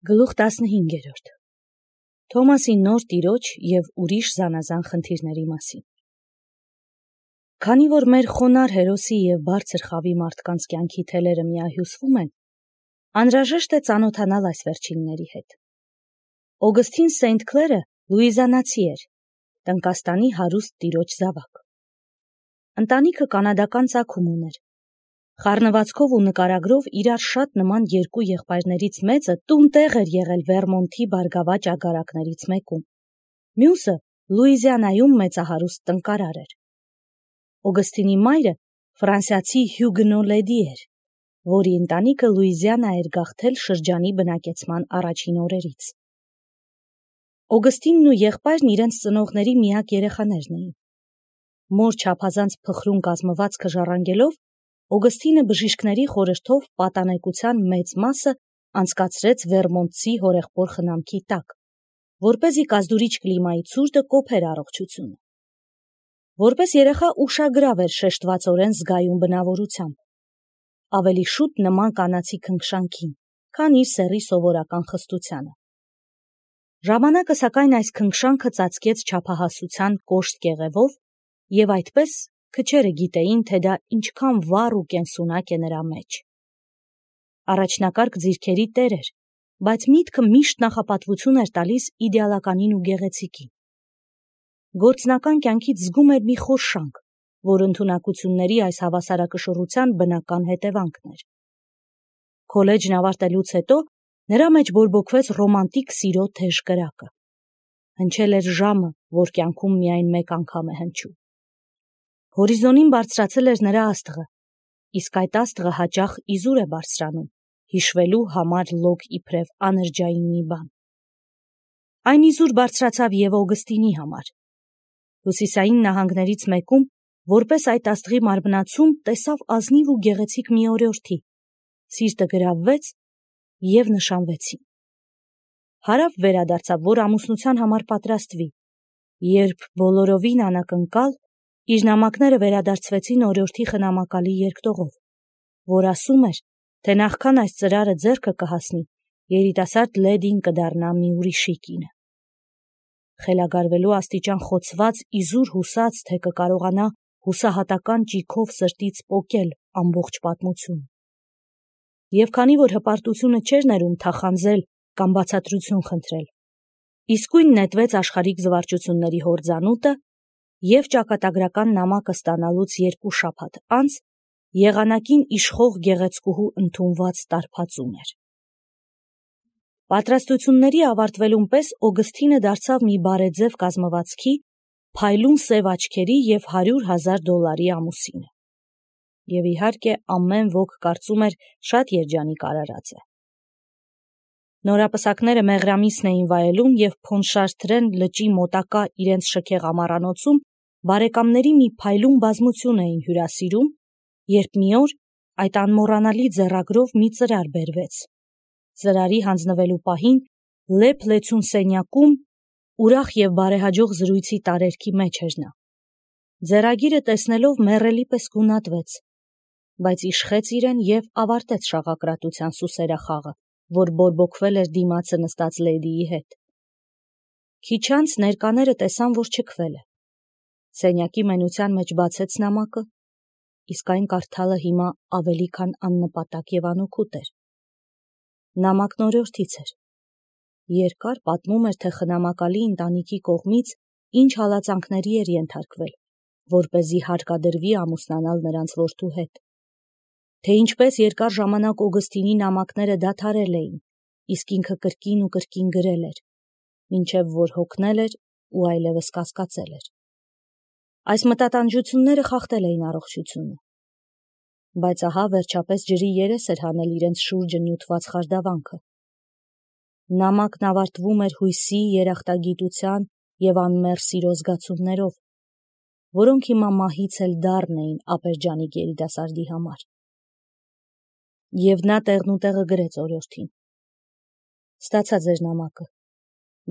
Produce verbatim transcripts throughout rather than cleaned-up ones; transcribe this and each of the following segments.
Գլուխ տասնհինգերորդ Թոմասի նոր տիրոջ և ուրիշ զանազան խնդիրների մասին։ Քանի որ մեր խոնար հերոսի և բարձր խավի մարդկանց կյանքի թելերը միահյուսվում են, անհրաժեշտ է ծանոթանալ այս վերջինների հետ։ Օգստին Սենթ Քլերը լուիզիանացի էր, Տնկաստանի հարուստ տիրոջ զավակ։ Ընտանիքը կանադական ծագում ուներ։ Խառնվածքով ու նկարագրով իրար շատ նման երկու եղբայրներից մեծը տուն-տեղ էր եղել Վերմոնթի բարգավաճ ագարակներից մեկում։ Մյուսը Լուիզիանայում մեծահարուստ տնկարար էր։ Օգստինի մայրը ֆրանսիացի հյուգնո լեդի էր, որի ընտանիքը Լուիզիանա էր գաղթել շրջանի բնակեցման առաջին օրերից։ Օգստինն ու եղբայրն իրենց ծնողների միակ երեխաներն էին։ Մոր չափազանց փխրուն կազմվածքը ժառանգելով, Օգստինը բժիշկների խորհրդով պատանեկության մեծ մասը անցկացրեց Վերմոնտցի հորեղբոր խնամքի տակ, որպեսզի կազդուրիչ կլիմայի ցուրտը կոփեր առողջությունը։ Որպես երեխա ուշագրավ էր շեշտվածորեն զգայուն բնավորությամբ, ավելի շուտ նման կանացի քնքշանքին, քան իր սեռի սովորական խստությանը։ Ժամանակը սակայն այս քնքշանքը ծածկեց չափահասության կոշտ կեղևով, և այդպես քչերը գիտեին, թե դա ինչքան վառ ու կենսունակ է նրա մեջ։ Առաջնակարգ ձիրքերի տեր էր, բայց միտքը միշտ նախապատվություն էր տալիս իդեալականին ու գեղեցիկին։ Գործնական կյանքից զգում էր մի խորշանք, որ ընդունակությունների այս հավասարակշռության բնական հետևանքն էր։ Քոլեջն ավարտելուց հետո նրա մեջ բորբոքվեց ռոմանտիկ սիրո թեժ կրակը։ Հնչել էր ժամը, որ կյանքում միայն մեկ անգամ է հնչում։ Հորիզոնին բարձրացել էր նրա աստղը, իսկ այդ աստղը հաճախ իզուր է բարձրանում, հիշվելու համար լոկ իբրև անրջային մի բան։ Այն իզուր բարձրացավ և Օգստինի համար։ Հյուսիսային նահանգներից մեկում, որպես այդ աստղի մարմնացում, տեսավ ազնիվ ու գեղեցիկ մի օրիորդի, սիրտը գրավվեց և նշանվեցին։ Հարավ վերադարձավ, որ ամուսնության համար պատրաստվի, երբ բոլորովին անակնկալ իր նամակները վերադարձվեցին օրիորդի խնամակալի երկտողով, որ ասում էր, թե նախքան այս ծրարը ձեռքը կհասնի, երիտասարդ լեդին կդառնա մի ուրիշի կինը։ Խելագարվելու աստիճան խոցված, իզուր հուսաց, թե կկարողանա հուսահատական ճիգով սրտից պոկել ամբողջ պատմությունը։ Եվ քանի որ հպարտությունը չէր ներում թախանձել կամ բացատրություն խնդրել, իսկույն նետվեց աշխարհիկ զվարճությունների հորձանուտը և ճակատագրական նամակը ստանալուց երկու շաբաթ անց եղանակին իշխող գեղեցկուհու ընդունված տարբածում էր։ Պատրաստությունների ավարտվելուն պես Օգստինը դարձավ մի բարեձև կազմվածքի, փայլուն սև աչքերի և հարյուր հազար դոլարի ամուսինը։ Եվ իհարկե ամեն ոք կարծում էր շատ երջանիկ արարած է։ Նորապսակները մեղրամիսն էին վայելում և Փոնշարտրեն լճի մոտակա իրենց շքեղ ամառանոցում բարեկամների մի փայլուն բազմություն էին հյուրասիրում, երբ մի օր այդ անմոռանալի ձեռագրով մի ծրար բերվեց։ Ծրարի հանձնվելու պահին լեփ-լեցուն սենյակում ուրախ և բարեհաջող զրույցի տարերքի մեջ էր նա։ Ձեռագիրը տեսնելով մեռելի պես գունատվեց, բայց իշխեց իրեն և ավարտեց շաղակրատության սուսերախաղը, որ բորբոքվել էր դիմացը նստած լեդիի հետ։ Քիչ անց ներկաները տեսան, որ չքվել է։ Սենյակի մենության մեջ բացեց նամակը, իսկ այն կարդալը հիմա ավելի քան աննպատակ և անօգուտ էր։ Նամակն օրիորդից էր։ Երկար պատմում էր, թե խնամակալի ընտանիքի կողմից ինչ հալածանքների էր ենթարկվել, որպեսզի հարկադրվի ամուսնանալ նրանց որդու հետ, թե ինչպես երկար ժամանակ Օգստինի նամակները դադարել էին, իսկ ինքը կրկին ու կրկին գրել էր, մինչև որ հոգնել էր ու այլևս կասկածել էր։ Այս մտատանջությունները խախտել էին առողջությունը։ Բայց ահա վերջապես ջրի երես էր հանել իրենց շուրջը նյութված խարդավանքը։ Նամակն ավարտվում էր հույսի, երախտագիտության և անմեռ սիրո զգացումներով, որոնք հիմա մահից էլ դառն էին ապերջանիկ երիտասարդի համար։ Եվ նա տեղնուտեղը գրեց օրիորդին. «Ստացա ձեր նամակը,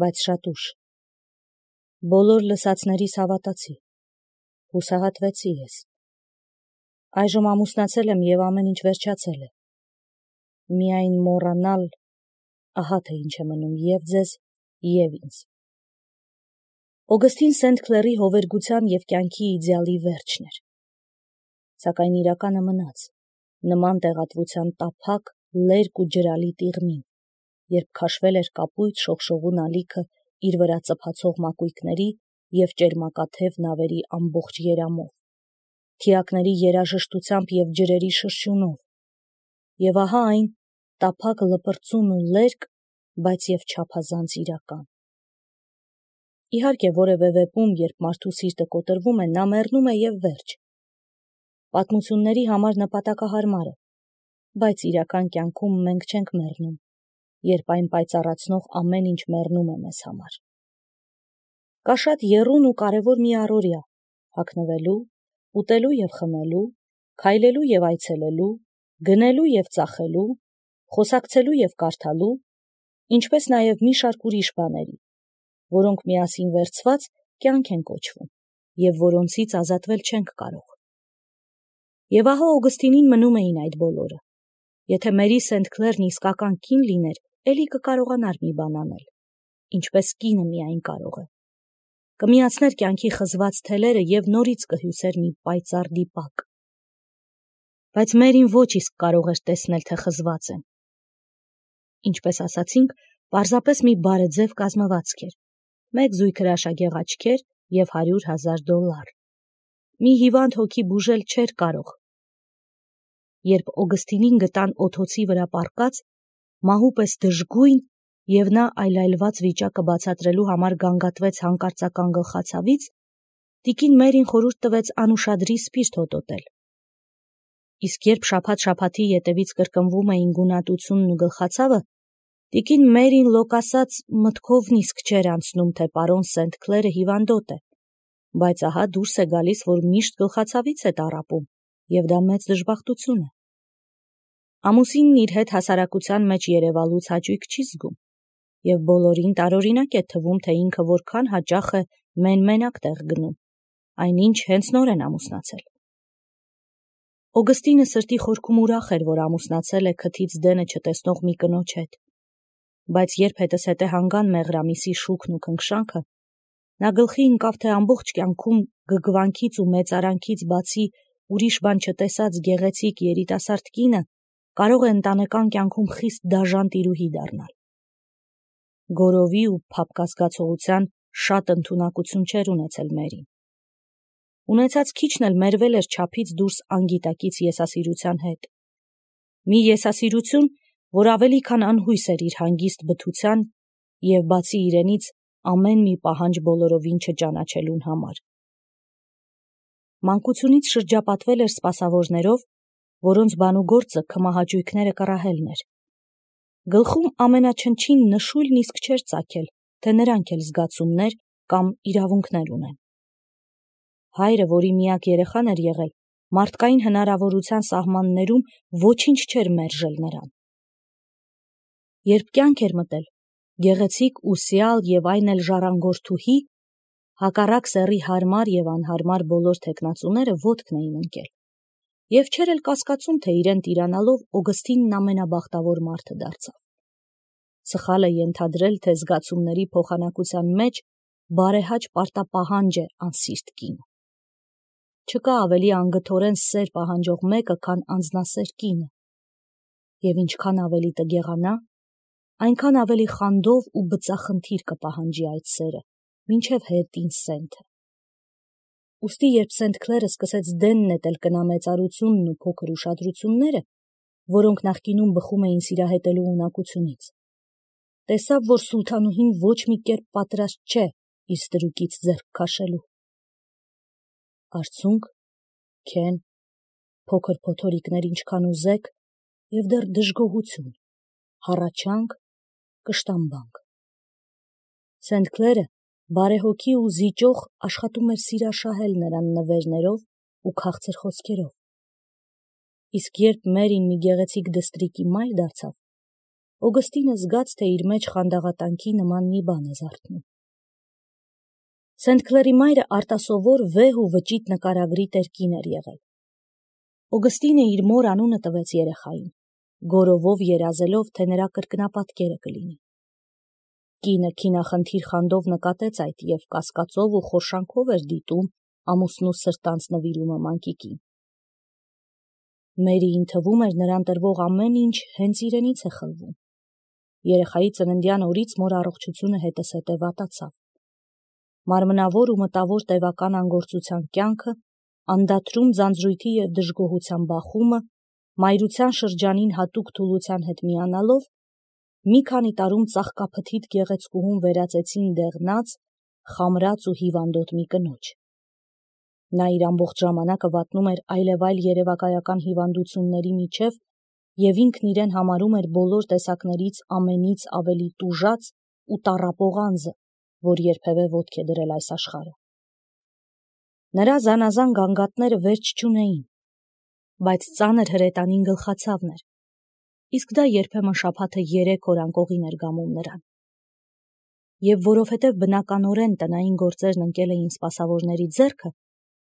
բայց շատ ուշ։ Բոլոր լսածներիս հավատացի, հուսահատվեցի ես։ Այժմ ամուսնացել եմ և ամեն ինչ վերջացել է։ Միայն մոռանալ, ահա թե ինչ է մնում և ձեզ, և ինձ։ Օգստին Սենթ Քլերի հովերգության և կյանքի իդեալի վերջն էր։ Սակայն իրականը մնաց, նման տեղատվության տափակ, լերկ ու ջրալի տիղմին, երբ քաշվել էր կապույտ շողշողուն ալիքը իր վրա ծփացող մակույկների և ճերմակաթև նավերի ամբողջ երամով, թիակների երաժշտությամբ և ջրերի շրշյունով, և ահա այն տափակ լպրծուն ու լերկ, բայց և չափազանց իրական։ Իհարկե, որևէ վեպում, երբ մարդու սիրտը կոտրվում է, նա մեռնում է և վերջ։ Պատմությունների համար նպատակահարմար է, բայց իրական կյանքում մենք չենք մեռնում, երբ այն պայծառացնող ամեն ինչ մեռնում է մեզ համար։ Կա շատ եռուն ու կարևոր մի առօրյա՝ հագնվելու, ուտելու և խմելու, քայլելու և այցելելու, գնելու և ծախելու, խոսակցելու և կարդալու, ինչպես նաև մի շարք ուրիշ բաների, որոնք միասին վերցված կյանք են կոչվում և որոնցից ազատվել չենք կարող։ Եվ ահա Օգստինին մնում էին այդ բոլորը։ Եթե Մերի Սենթ Քլերն իսկական կին լիներ, էլի կկարողանար մի բան անել, ինչպես կինը միայն կարող է։ Կմիացներ կյանքի խզված թելերը և նորից կհյուսեր մի պայծառ դիպակ։ Բայց Մերին ոչ իսկ կարող էր տեսնել, թե խզված են։ Ինչպես ասացինք, պարզապես մի բարեձև կազմվածք էր, մեկ զույգ հրաշագեղ աչքեր և հարյուր հազար դոլար։ Մի հիվանդ հոգի բուժել չէր կարող։ Երբ Օգստինին գտան օթոցի վրա պառկած, մահու պես դժգույն, և նա այլայլված վիճակը բացատրելու համար գանգատվեց հանկարծական գլխացավից, տիկին Մերին խորհուրդ տվեց անուշադրի սպիրտ հոտոտել։ Իսկ երբ շաբաթ-շաբաթի ետևից կրկնվում էին գունատությունն ու գլխացավը, տիկին Մերին լոկ ասած մտքով նիսկ չէր անցնում, թե պարոն Սենթ Քլերը հիվանդոտ է, բայց ահա դուրս է գալիս, որ միշտ գլխացավից է տառապում, և դա մեծ դժբախտություն է։ Ամուսինն իր հետ հասարակության մեջ երևալուց հաճույք չի զգում, և բոլորին տարօրինակ է թվում, թե ինքը որքան հաճախ է մեն-մենակ տեղ գնում, այնինչ հենց նոր են ամուսնացել։ Օգստինը սրտի խորքում ուրախ էր, որ ամուսնացել է քթից դենը չտեսնող մի կնոջ հետ, բայց երբ հետզհետե հանգան մեղրամիսի շուքն ու քնքշանքը, նա գլխի ընկավ, թե ամբողջ կյանքում գգվանքից ու մեծարանքից բացի ուրիշ բան չտեսած գեղեցիկ երիտասարդ կինը կարող է ընտանեկան կյանքում խիստ դաժան տիրուհի դառնալ։ Գորովի ու փափկազգացողության շատ ընդունակություն չէր ունեցել Մերին։ Ունեցած քիչն էլ մերվել էր չափից դուրս անգիտակից եսասիրության հետ։ Մի եսասիրություն, որ ավելի քան անհույս էր իր հանգիստ բթության և բացի իրենից ամեն մի պահանջ բոլորովին չճանաչելուն համար։ Մանկությունից շրջապատվել էր սպասավորներով, որոնց բանուգործը քմահաճույքները կռահելն էր։ Գլխում ամենաչնչին նշույլն իսկ չէր ծագել, թե նրանք էլ զգացումներ կամ իրավունքներ ունեն։ Հայրը, որի միակ երեխան էր եղել, մարդկային հնարավորության սահմաններում ոչինչ չէր մերժել նրան։ Երբ կյանք էր մտել, գեղեցիկ ու սիալ և այն էլ ժառանգորդուհի, հակառակ սեռի հարմար և անհարմար բոլոր թեկնածուները ոտքն էին ընկել, և չէր էլ կասկածում, թե իրեն տիրանալով Օգստինն ամենաբախտավոր մարդը դարձավ։ Սխալ է ենթադրել, թե զգացումների փոխանակության մեջ բարեհաճ պարտապահանջ է անսիրտ կինը։ Չկա ավելի անգթորեն սեր պահանջող մեկը, քան անձնասեր կինը, և ինչքան ավելի տգեղանա, այնքան ավելի խանդով ու բծախնդիր կպահանջի այդ սերը, մինչև հետին Սենթը։ Ուստի երբ Սենթ Քլերը սկսեց դեն նետել կնամեծարությունն ու փոքր ուշադրությունները, որոնք նախկինում բխում էին սիրահետելու ունակությունից, տեսավ, որ սուլթանուհին ոչ մի կերպ պատրաստ չէ իր ստրուկից ձեռք քաշելու։ Արցունք, քեն, փոքր փոթորիկներ ինչքան ուզեք, և դեռ դժգոհություն, հառաչանք, կշտամբանք։ Սենթ Քլերը բարեհոգի ու զիջող աշխատում էր սիրաշահել նրան նվերներով ու քաղցր խոսքերով։ Իսկ երբ Մերին մի գեղեցիկ դստրիկի մայր դարձավ, Օգստինը զգաց, թե իր մեջ խանդաղատանքի նման մի բան է զարթնում։ Սենթ Քլերի մայրը արտասովոր վեհ ու վճիտ նկարագրի տեր կին էր եղել։ Օգստինը իր մոր անունը տվեց երեխային, գորովով երազելով, թե նրա կրկնապատկերը կլինի։ Կինը քինախնդիր խանդով նկատեց այդ և կասկածով ու խորշանքով էր դիտում ամուսնու սրտանց նվիրումը մանկիկին։ Մերիին թվում էր նրան տրվող ամեն ինչ հենց իրենից է խլվում։ Երեխայի ծննդյան օրից մոր առողջությունը հետզհետե վատացավ։ Մարմնավոր ու մտավոր տևական անգործության կյանքը, անդադրում ձանձրույթի և դժգոհության բախումը, մայրության շրջանին հատուկ թուլության հետ միանալով, մի քանի տարում ծաղկափթիթ գեղեցկուհուն վերածեցին դեղնած, խամրած ու հիվանդոտ մի կնոջ։ Նա իր ամբողջ ժամանակը վատնում էր այլևայլ երևակայական հիվանդությունների միջև և ինքն իրեն համարում էր բոլոր տեսակներից ամենից ավելի տուժած ու տառապող անձը, որ երբևէ ոտք է դրել այս աշխարհը։ Նրա զանազան գանգատները վերջ չունեին, բայց ծանր հրետանին գլխացավն էր, իսկ դա երբեմն շաբաթը երեք օր անկողին էր գամում նրան։ Եվ որովհետև բնականորեն տնային գործերն ընկել էին սպասավորների ձեռքը,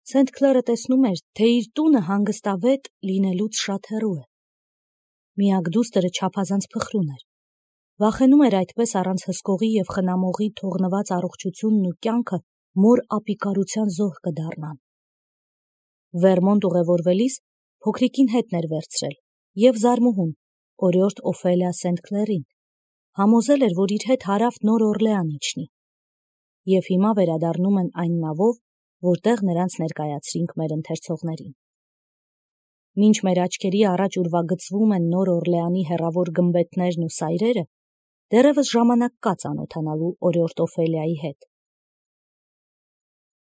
Սենթ Քլերը տեսնում էր, թե իր տունը հանգստավետ լինելուց շատ հեռու է։ Միակ դուստրը չափազանց փխրուն էր։ Վախենում էր այդպես առանց հսկողի և խնամողի թողնված առողջությունն ու կյանքը մոր ապիկարության զոհ կդառնան։ Վերմոնտ ուղևորվելիս փոքրիկին հետն էր վերցրել և զարմուհուն, օրիորդ Օֆելիա Սենթ Քլերին, համոզել էր, որ իր հետ հարավ Նոր Օրլեան իջնի, և հիմա վերադառնում են այն նավով, որտեղ նրանց ներկայացրինք մեր ընթերցողներին։ Մինչ մեր աչքերի առաջ ուրվագծվում են Նոր Օրլեանի հեռավոր գմբեթներն ու սայրերը, դեռևս ժամանակ կա ծանոթանալու օրիորդ Օֆելիայի հետ։